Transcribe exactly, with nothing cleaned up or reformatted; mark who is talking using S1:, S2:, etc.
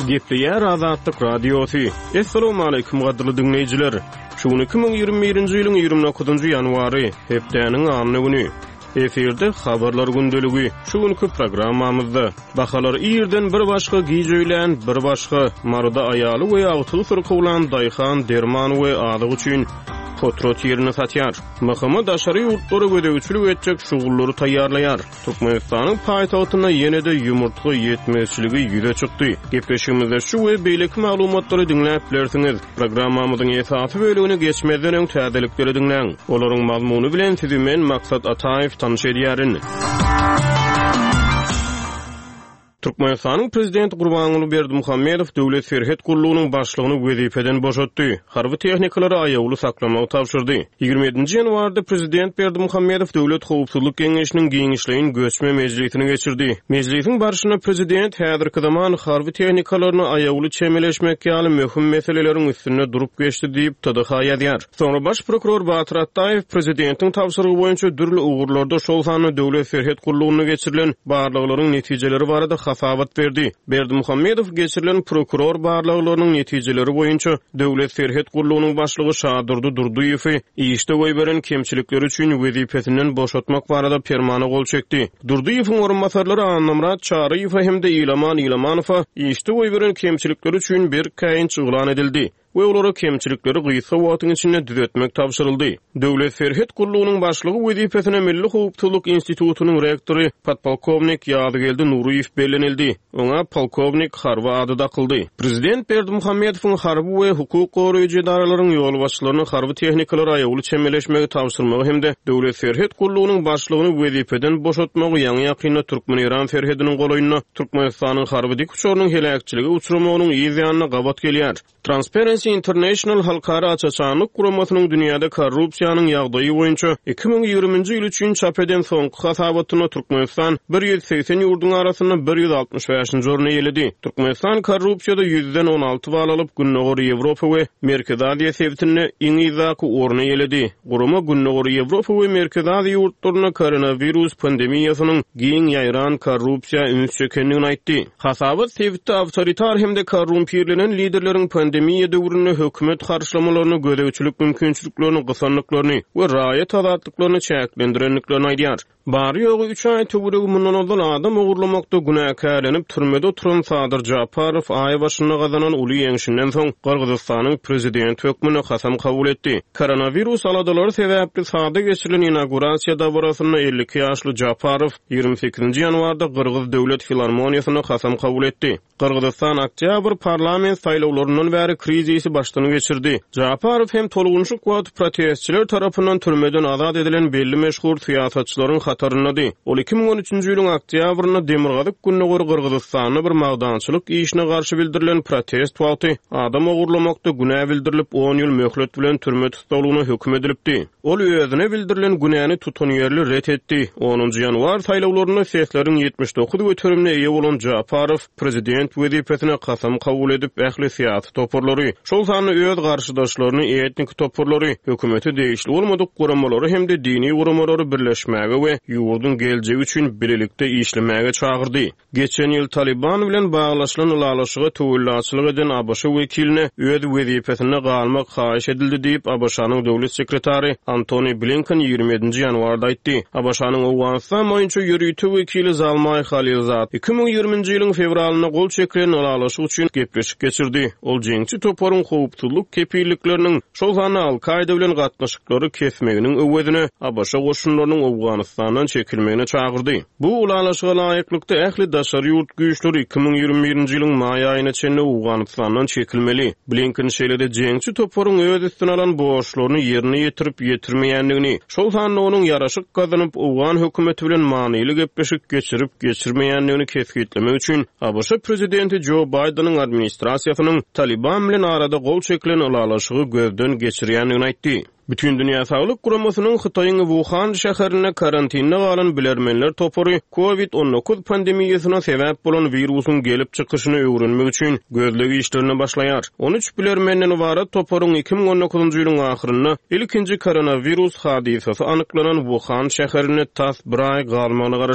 S1: Gepleýär Azatlyk Radiosy. Assalamualaikum gadyrly diňleýjiler. Şu gün iki müň ýigrimi birinji ýylyň ýigrimi dokuzynjy ýanwary, hepdäniň anna güni. Efirde habarlar gündeligi. Şu günki programmamyzda bahalar irden bir başga, giç öýlän bir başga, Maryda aýaly we agtygy syrkawlan daýhan derman we azyk üçin potrat ýerini satýar. M H M daşary ýurtlara gözegçilik etjek şugullary taýýarlaýar. Türkmenistanyň paýtagtynda ýene-de ýumurtga ýetmezçiligi ýüze çykdy. Gepleşigimizde şu we beýleki maglumatlary diňläp bilersiňiz. Programmamyzyň esasy bölümine geçmezden öň täzelikleri diňläň. Olaryň mazmuny bilen sizi men Maksat Ataýew tanyş edýärin. Türkmenistanyň Prezidenti Gurbanguly Berdimuhamedow Döwlet Serhet Gullugynyň başlygyny wezipeden boşatdy. Harby tehnikalary aýawly saklamagy tabşyrdy. Ýigrimi ýedinji ýanwarda Prezident Berdimuhamedow Döwlet Howpsuzlyk Geňeşiniň giňişleýin göçme mejlisini geçirdi. Mejlisiň barşynda Prezident häzirki zaman harby tehnikalaryny aýawly çemeleşmek ýaly möhüm meseleleriň üstünde durup geçdi diýip T D H ýazýar. Soňra baş prokuror Batyr Atdaýew Prezidentiň tabşyrygy boýunça dürli ugurlarda şol sanda Döwlet Serhet Gullugyna geçirilen barlaglaryň netijeleri barada hasabat berdi. Berdimuhamedow geçirilen prokuror barlaglarynyň netijeleri boýunça Döwlet Serhet Gullugynyň başlygy Şadurdy Durdyýewi işde goýberen kemçilikleri üçin wezipesinden boşatmak barada permana gol çekdi. Durdyýewiň orunbasarlary Annamyrat Çaryýewe hem-de Ilaman Ilamanowa işde goýberen kemçilikleri üçin bir käýinç yglan edildi we olara kemçilikleri gysga wagtyň içinde düzetmek tabşyryldy. Döwlet Serhet Gullugynyň başlygy wezipesine Milli Howpsuzlyk Institutynyň rektory podpolkownik Ýazgeldi Nuryýew bellenildi. Oňa polkownik harby ady dakyldy. Prezident Berdimuhamedowyň harby we hukuk goraýjy edaralaryň ýolbaşçylaryny harby tehnikalara aýawly çemeleşmegi tabşyrmagy hem-de Döwlet Serhet Gullugynyň başlygyny wezipeden boşatmagy ýaňy ýakynda Türkmen-Eýran serhediniň golaýynda Türkmenistanyň harby dik uçarynyň heläkçilige uçramagynyň yz ýanyna gabat gelýär. Transparency International Halkara Açaçanlyk Guramasynyň dünýäde korrupsiýanyň ýagdaýy boýunça iki müň ýigriminji ýyl üçin çap eden soňky hasabatynda Türkmenistan bir ýüz segsen ýurduň arasynda bir ýüz altmyş bäşinji orny eýeledi. Türkmenistan korrupsiýada ýüzden on alty bal alyp, Gündogar Ýewropa we Merkezi Aziýa sebitinde iň yzdaky orny eýeledi. Gurama Gündogar Ýewropa we Merkezi Aziýa ýurtlarynda koronawirus pandemiýasynyň giň ýaýran korrupsiýa üns çekendigini aýtdy. Hasabat sebitde awtoritar hem-de korrumpirlenen liderleriň pandemiýa döwründe hökümet harçlamalaryny, gözegçilik mümkinçiliklerini, gysanlyklaryny we raýat azatlyklaryny çäklendirendiklerini aýdýar. Bary ýogy üç aý töweregi mundan ozal adam ogurlamakda günäkärlenip türmede oturan Sadyr Japarow aý başynda gazanan uly ýeňşinden soň Gyrgyzystanyň prezidenti hökmünde kasam kabul etdi. Koronawirus aladalary sebäpli sada geçirilen inaugurasiýa dabarasynda elli iki ýaşly Japarow ýigrimi sekizinji ýanwarda Gyrgyz Döwlet Filarmoniýasynda kasam kabul etdi. Gyrgyzystan oktýabr parlament saýlawlaryndan bäri krizisi başdan geçirdi. Japarow hem tolgunşyk wagty protestçiler tarapyndan türmeden azat edilen belli meşhur syýasatçylaryň hataryndady. Ol iki müň on üçünji ýylyň oktýabrynda Demirgazyk Gündogar Gyrgyzystanda bir magdançylyk işine garşy bildirilen protest wagty adam ogurlamakda günä bildirilip on ýyl möhlet bilen türme tussaglygyna höküm edilipdi. Ol özüne bildirilen günäni tutanýerli ret etdi. Onunjy ýanwar saýlawlarynda sesleriň ýetmiş dokuz göterimine eýe bolan Japarow prezident wezipesine kasam kabul edip ähli syýasy toparlary, şol sanda öz garşydaşlaryny, etnik toparlary, hökümete degişli bolmadyk guramalary hem-de dini guramalary birleşmäge we ýurduň geljegi üçin bilelikde işlemäge çagyrdy. Geçen ýyl Taliban bilen baglaşylan ylalaşyga töwellaçylyk eden A B Ş wekiline öz wezipesinde galmak haýyş edildi diýip A B Ş-nyň döwlet sekretary Antony Blinken ýigrimi ýedinji ýanwarda aýtdy. A B Ş-nyň Owganystan boýunça ýörite wekili Zalmaý Halilzad iki müň ýigriminji ýylyň fewralynda gol çekilen ylalaşyk üçin gepleşik geçirdi. Ol jeňçi toparyň howpsuzlyk kepillikleriniň şol sanda Al-Kaida bilen gatnaşyklary kesmeginiň öwezine A B Ş goşunlarynyň Owganystandan çekilmegine çagyrdy. Bu ylalaşyga laýyklykda ähli daşary ýurt güýçleri iki müň ýigrimi birinji ýylyň maý aýyna çenli Owganystandan çekilmeli. Blinken şeýle-de jeňçi toparyň öz üstüne alan borçlaryny ýerine ýetirip ýetirmeýändigini, şol sanda onuň ýaraşyk gazanyp Owgan hökümeti bilen manyly gepleşik geçirip geçirmeýändigini kesgitlemek üçin A B Ş prezidenti Joe Bideniň administrasiýasynyň Taliban bilen arada gol çekilen ylalaşygy gözden geçirýändigini aýtdy. Bütün Dünya Sağlık Guramasynyň Hytaýyň Wuhan şäherinde karantinde galan bilermenler topary COVID on dokuz pandemiýasyna sebäp bolan wirusyň gelip çykyşyny öwrenmek üçin gözleg işlerine başlaýar. On üç bilermenden ybarat toparyň iki müň on dokuzynjy ýylyň ahyrynda ilkinji koronawirus hadysasy anyklanan Wuhan şäherinde tas bir aý galmagyna